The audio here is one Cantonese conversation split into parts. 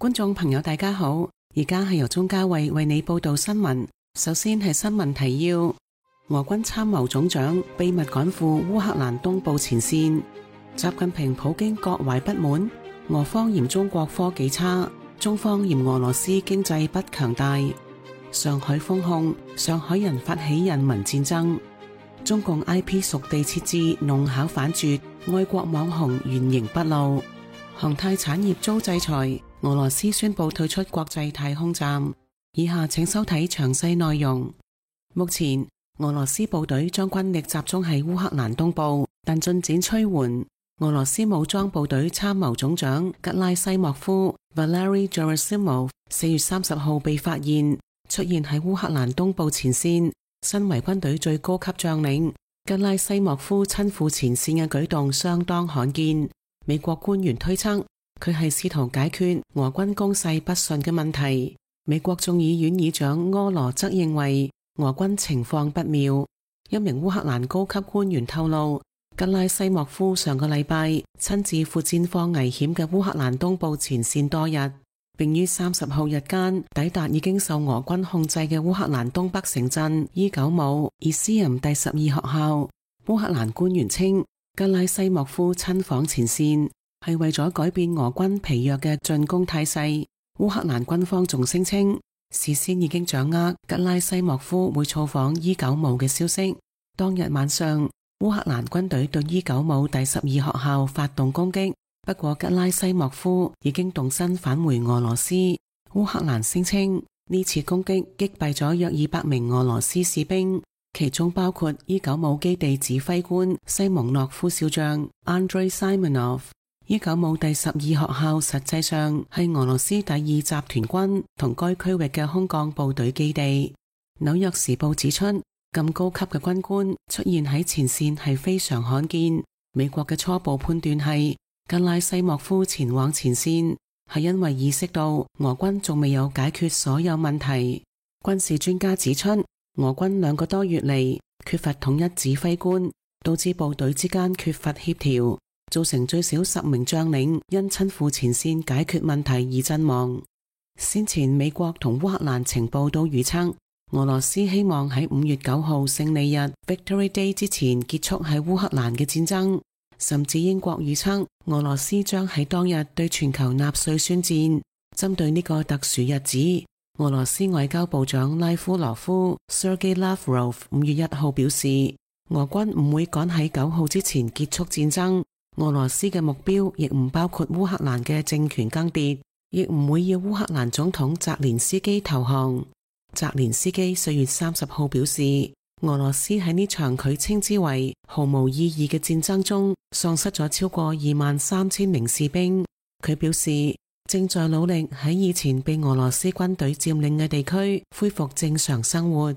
觀眾朋友大家好，而家係由鍾嘉慧為你報道新聞。首先係新聞提要：俄軍參謀總長秘密趕赴烏克蘭東部前線。習近平普京各懷不滿，俄方嫌中國科技差，中方嫌俄羅斯經濟不強大。上海封控，上海人發起人民戰爭。中共 IP 屬地設置弄巧反拙，愛國網紅原形畢露。航太產業遭制裁，俄羅斯宣布退出國際太空站。以下請收睇詳細內容。目前，俄羅斯部隊將軍力集中喺烏克蘭東部，但進展趨緩。俄羅斯武裝部隊參謀總長格拉西莫夫 Valery Gerasimov 4月30號被發現出現喺烏克蘭東部前線。身為軍隊最高級將領，格拉西莫夫親赴前線嘅舉動相當罕見。美國官員推測，佢係試圖解決俄軍攻勢不順嘅問題。美國眾議院議長柯羅則認為俄軍情況不妙。一名烏克蘭高級官員透露，格拉西莫夫上個禮拜親自赴戰況危險嘅烏克蘭東部前線多日，並於30號日間抵達已經受俄軍控制嘅烏克蘭東北城鎮伊久姆伊斯任第12學校。烏克蘭官員稱，格拉西莫夫親訪前線係為咗改變俄軍疲弱嘅進攻態勢。烏克蘭軍方仲聲稱，事先已經掌握格拉西莫夫會造訪伊久姆嘅消息。當日晚上，烏克蘭軍隊對伊久姆第12學校發動攻擊，不過格拉西莫夫已經動身返回俄羅斯。烏克蘭聲稱呢次攻擊擊斃咗約200名俄羅斯士兵，其中包括伊久姆基地指揮官西蒙諾夫少將 Andrei Simonov。伊久姆第12學校實際上係俄羅斯第2集團軍同該區域嘅空降部隊基地。紐約時報指出，咁高級嘅軍官出現喺前線係非常罕見。美國嘅初步判斷係，格拉西莫夫前往前線係因為意識到俄軍仲未有解決所有問題。軍事專家指出，俄軍2個多月嚟缺乏統一指揮官，導致部隊之間缺乏協調，造成最少10名將領因親赴前線解決問題而陣亡。先前美國同烏克蘭情報都預測，俄羅斯希望喺5月9號勝利日 Victory Day 之前結束喺烏克蘭嘅戰爭，甚至英國預測俄羅斯將喺當日對全球納粹宣戰。針對呢個特殊日子，俄羅斯外交部長拉夫羅夫 Sergei Lavrov 5月1號表示，俄軍唔會趕喺9號之前結束戰爭。俄羅斯嘅目標亦唔包括烏克蘭嘅政權更迭，亦唔會要烏克蘭總統澤連斯基投降。澤連斯基4月30號表示，俄羅斯喺呢場佢稱之為毫無意義嘅戰爭中喪失咗超過23000名士兵。佢表示正在努力喺以前被俄羅斯軍隊佔領嘅地區恢復正常生活。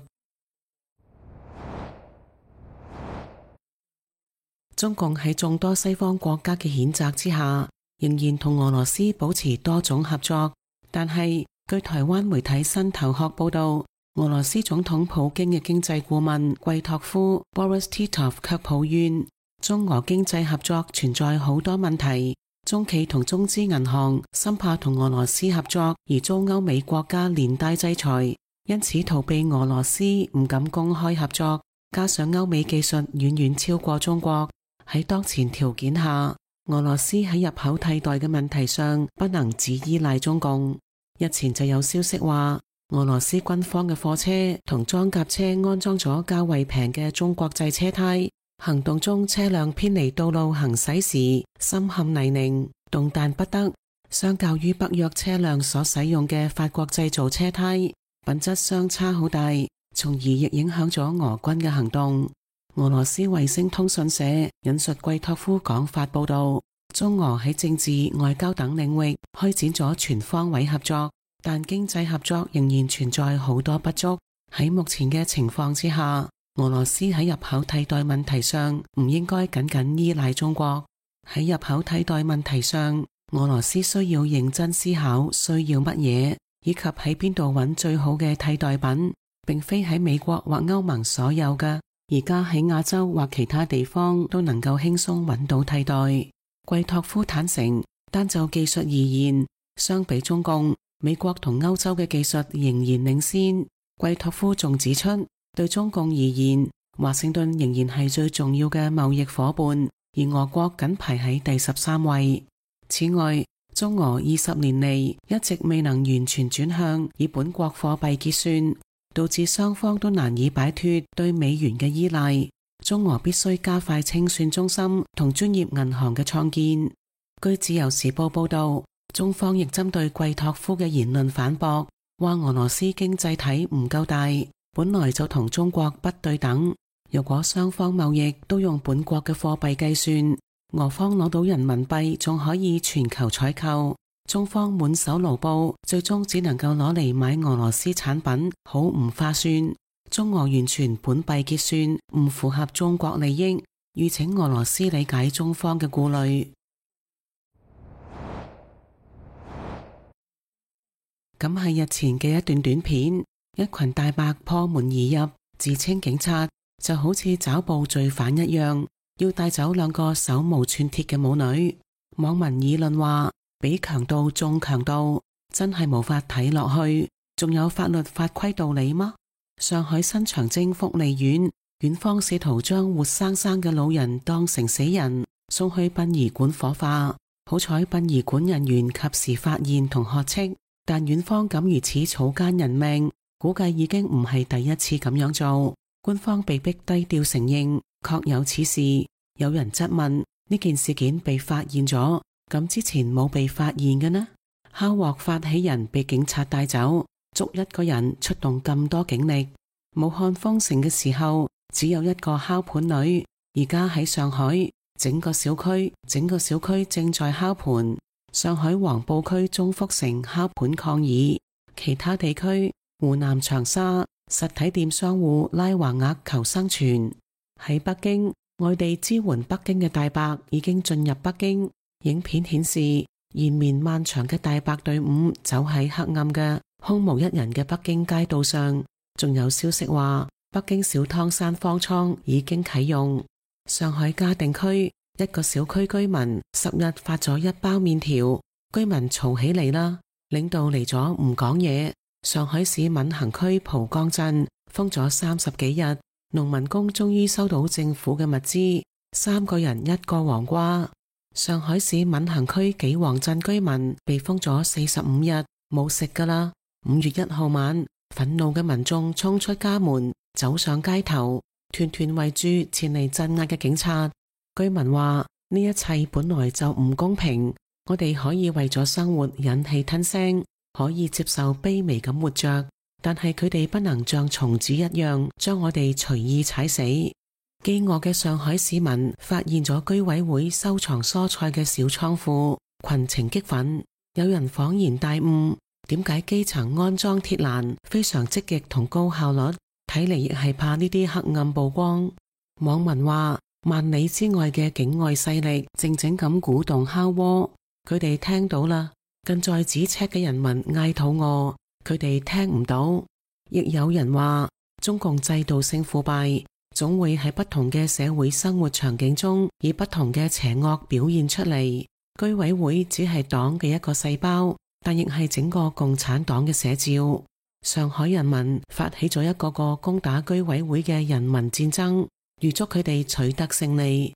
中共喺眾多西方國家嘅譴責之下，仍然同俄羅斯保持多種合作。但係據台灣媒體新頭殼報道，俄羅斯總統普京嘅經濟顧問季托夫 Boris Titov 卻抱怨，中俄經濟合作存在好多問題。中企同中資銀行深怕同俄羅斯合作而遭歐美國家連帶制裁，因此逃避俄羅斯唔敢公開合作。加上歐美技術遠遠超過中國，喺當前條件下，俄羅斯喺入口替代嘅問題上不能只依賴中共。日前就有消息話，俄羅斯軍方嘅貨車同裝甲車安裝咗較為平嘅中國製車胎，行動中車輛偏離道路行駛時深陷泥濘，動彈不得。相較於北約車輛所使用嘅法國製造車胎，品質相差好大，從而亦影響咗俄軍嘅行動。俄羅斯衛星通訊社引述季托夫講法報道，中俄喺政治、外交等領域開展咗全方位合作，但經濟合作仍然存在好多不足。喺目前嘅情況之下，俄羅斯喺入口替代問題上唔應該僅僅依賴中國。喺入口替代問題上，俄羅斯需要認真思考需要乜嘢，以及喺邊度揾最好嘅替代品，並非喺美國或歐盟所有嘅。而家喺亞洲或其他地方都能夠輕鬆揾到替代。季托夫坦承，單就技術而言，相比中共，美國同歐洲嘅技術仍然領先。貴托夫仲指出，對中共而言，華盛頓仍然係最重要嘅貿易夥伴，而俄國僅排喺第13位。此外，中俄20年嚟一直未能完全轉向以本國貨幣結算，導致雙方都難以擺脫對美元嘅依賴。中俄必須加快清算中心同專業銀行嘅創建。據自由時報報道，中方亦針對貴托夫嘅言論反駁，話俄羅斯經濟體唔夠大，本來就同中國不對等。如果雙方貿易都用本國嘅貨幣計算，俄方攞到人民幣仲可以全球採購，中方滿手盧布，最終只能夠攞嚟買俄羅斯產品，好唔划算。中俄完全本幣結算唔符合中國利益，籲請俄羅斯理解中方嘅顧慮。咁係日前嘅一段短片，一群大白破門而入，自稱警察，就好似抓捕罪犯一樣，要帶走兩個手無寸鐵嘅母女。網民議論話，比強盜仲強盜，真係無法睇落去。仲有法律法規道理嗎？上海新長征福利院，院方試圖將活生生嘅老人當成死人，送去殯儀館火化。好彩殯儀館人員及時發現同喝斥，但院方敢如此草菅人命，估計已經唔係第一次咁樣做。官方被逼低調承認，確有此事。有人質問，呢件事件被發現咗，咁之前冇被發現嘅呢？敲鑊發起人被警察帶走，捉一個人出動咁多警力。武漢封城嘅時候，只有一個敲盤女，而家喺上海，整個小區正在敲盤。上海黃埔區中福城敲盤抗議，其他地區湖南長沙實體店商戶拉橫額求生存。喺北京，外地支援北京嘅大白已經進入北京。影片顯示，延綿漫長嘅大白隊伍走喺黑暗嘅空無一人嘅北京街道上。仲有消息話，北京小湯山方艙已經啟用。上海嘉定區一個小區居民10日發咗1包麵條，居民嘈起嚟啦，領導嚟咗唔講嘢。上海市閔行區蒲崗鎮封咗30幾日，農民工終於收到政府嘅物資，3個人1個黃瓜。上海市閔行區紀皇鎮居民被封咗45日，冇食㗎啦。5月1號晚，憤怒嘅民眾衝出家門，走上街頭，團團圍住前嚟鎮壓嘅警察。居民話，呢一切本來就唔公平，我哋可以為咗生活忍氣吞聲，可以接受卑微咁活着，但係佢哋不能像蟲子一樣將我哋隨意踩死。飢餓嘅上海市民發現咗居委會收藏蔬菜嘅小倉庫，群情激憤。有人恍然大悟，點解基層安裝鐵欄非常積極同高效率？睇嚟亦係怕呢啲黑暗曝光。網民話，萬里之外嘅境外勢力靜靜咁鼓動敲鍋，佢哋聽到啦。近在咫尺嘅人民嗌肚餓，佢哋聽唔到。亦有人話，中共制度性腐敗，總會喺不同嘅社會生活場景中以不同嘅邪惡表現出嚟。居委會只係黨嘅一個細胞，但亦係整個共產黨嘅寫照。上海人民發起咗一個個攻打居委會嘅人民戰爭，預祝佢哋取得勝利。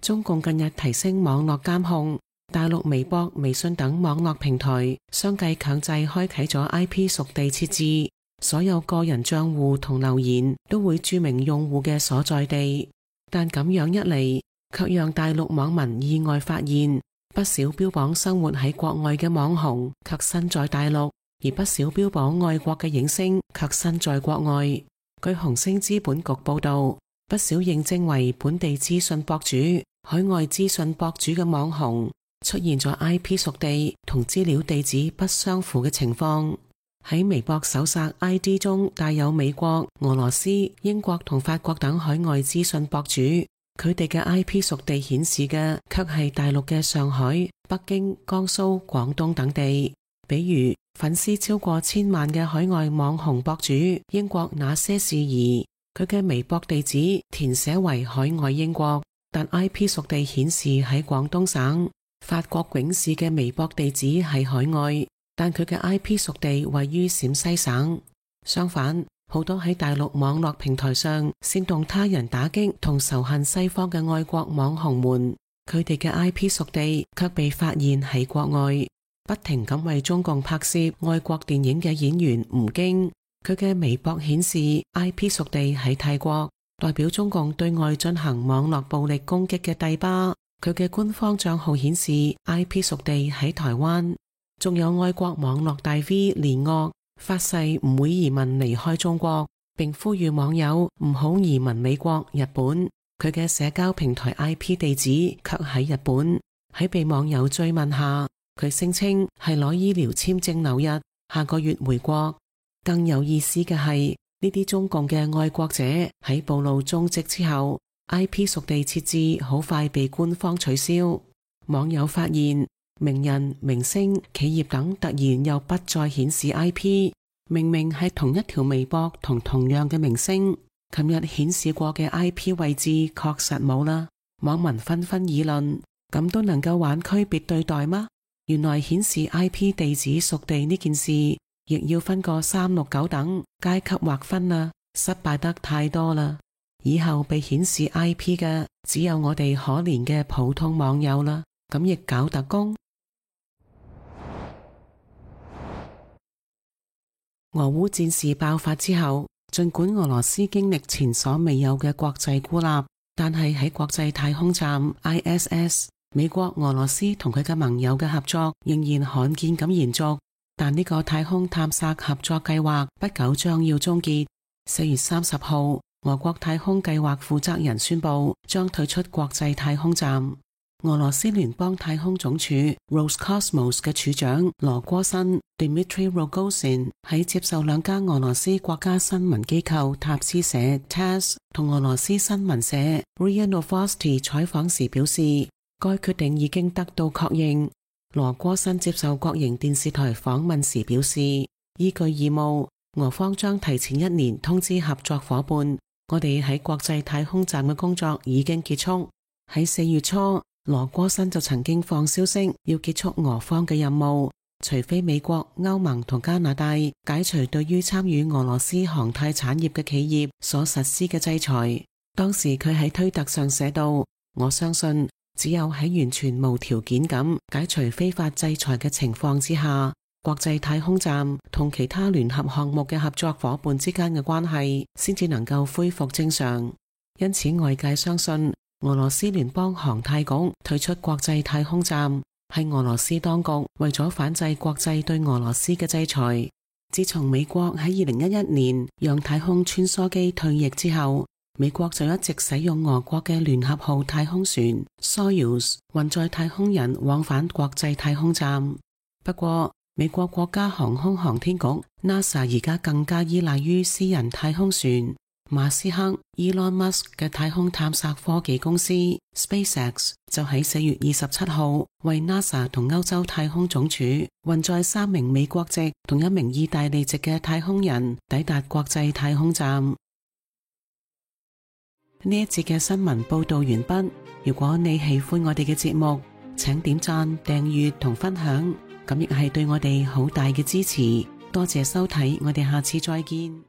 中共近日提升網絡監控，大陸微博、微信等網絡平台相繼強制開啟咗 IP 屬地設置，所有個人賬戶同留言都會注明用戶嘅所在地。但咁樣一嚟，卻讓大陸網民意外發現，不少標榜生活喺國外嘅網紅卻身在大陸，而不少標榜愛國嘅影星卻身在國外。據紅星資本局報道，不少認證為本地資訊博主、海外資訊博主嘅網紅出現咗 IP 屬地同資料地址不相符嘅情況。喺微博搜索 ID 中帶有美國、俄羅斯、英國同法國等海外資訊博主，佢哋嘅 IP 屬地顯示嘅卻係大陸嘅上海、北京、江蘇、廣東等地。比如粉絲超過1000萬嘅海外網紅博主英國那些事兒，佢嘅微博地址填寫為海外英國，但 IP 屬地顯示喺廣東省。法國囧士嘅微博地址喺海外，但佢嘅 IP 屬地位於陝西省。相反，好多喺大陸網絡平台上煽動他人打擊同仇恨西方嘅愛國網紅們，佢哋嘅 IP 屬地卻被發現喺國外。不停咁為中共拍攝愛國電影嘅演員吳京，佢嘅微博顯示 IP 屬地喺泰國，代表中共對外進行網絡暴力攻擊嘅帝巴。佢嘅官方賬號顯示 IP 屬地喺台灣。仲有愛國網絡大 V 連岳發誓唔會移民離開中國，並呼籲網友唔好移民美國、日本。佢嘅社交平台 IP 地址卻喺日本。喺被網友追問下，佢聲稱係攞醫療簽證留日，下個月回國。更有意思嘅係，呢啲中共嘅愛國者喺暴露蹤跡之後，IP 屬地設置好快被官方取消。網友發現名人、明星、企業等突然又不再顯示 IP， 明明係同一條微博同同樣嘅明星，琴日顯示過嘅 IP 位置確實冇啦。網民紛紛議論，咁都能夠玩區別對待嗎？原來顯示 IP 地址屬地呢件事，亦要分個369等階級劃分啦，失敗得太多啦。以後被顯示 IP 嘅只有我哋可憐嘅普通網友啦，咁亦搞特工。俄烏戰事爆發之後，儘管俄羅斯經歷前所未有嘅國際孤立，但係喺國際太空站 ISS， 美國、俄羅斯同佢嘅盟友嘅合作仍然罕見咁延續。但呢個太空探索合作計劃不久將要終結。4月30號，俄國太空計劃負責人宣布將退出國際太空站。俄羅斯聯邦太空總署 Roscosmos 嘅署長羅戈辛 Dmitry Rogozin 喺接受兩家俄羅斯國家新聞機構塔斯社 TASS 同俄羅斯新聞社 RIA Novosti 採訪時表示，該決定已經得到確認。羅戈辛接受國營電視台訪問時表示，依據義務，俄方將提前1年通知合作夥伴，我哋喺國際太空站嘅工作已經結束。喺4月初，羅戈辛就曾經放消息要結束俄方嘅任務，除非美國、歐盟同加拿大解除對於參與俄羅斯航太產業嘅企業所實施嘅制裁。當時佢喺推特上寫道，我相信只有喺完全無條件咁解除非法制裁嘅情況之下，國際太空站同其他聯合項目嘅合作夥伴之間嘅關係先至能夠恢復正常。因此外界相信俄羅斯聯邦航太局退出國際太空站係俄羅斯當局為咗反制國際對俄羅斯嘅制裁。自從美國喺2011年讓太空穿梭機退役之後，美國就一直使用俄國嘅聯合號太空船 Soyuz 運載太空人往返國際太空站。不過美國國家航空航天局 NASA 而家更加依賴於私人太空船馬斯克 Elon Musk 嘅太空探索科技公司 SpaceX 就喺4月27號為 NASA 同歐洲太空總署運載3名美國籍同1名意大利籍嘅太空人抵達國際太空站。呢一節嘅新聞報道完畢。如果你喜歡我哋嘅節目，請點讚、訂閱同分享，咁亦係對我哋好大嘅支持。多謝收睇，我哋下次再見。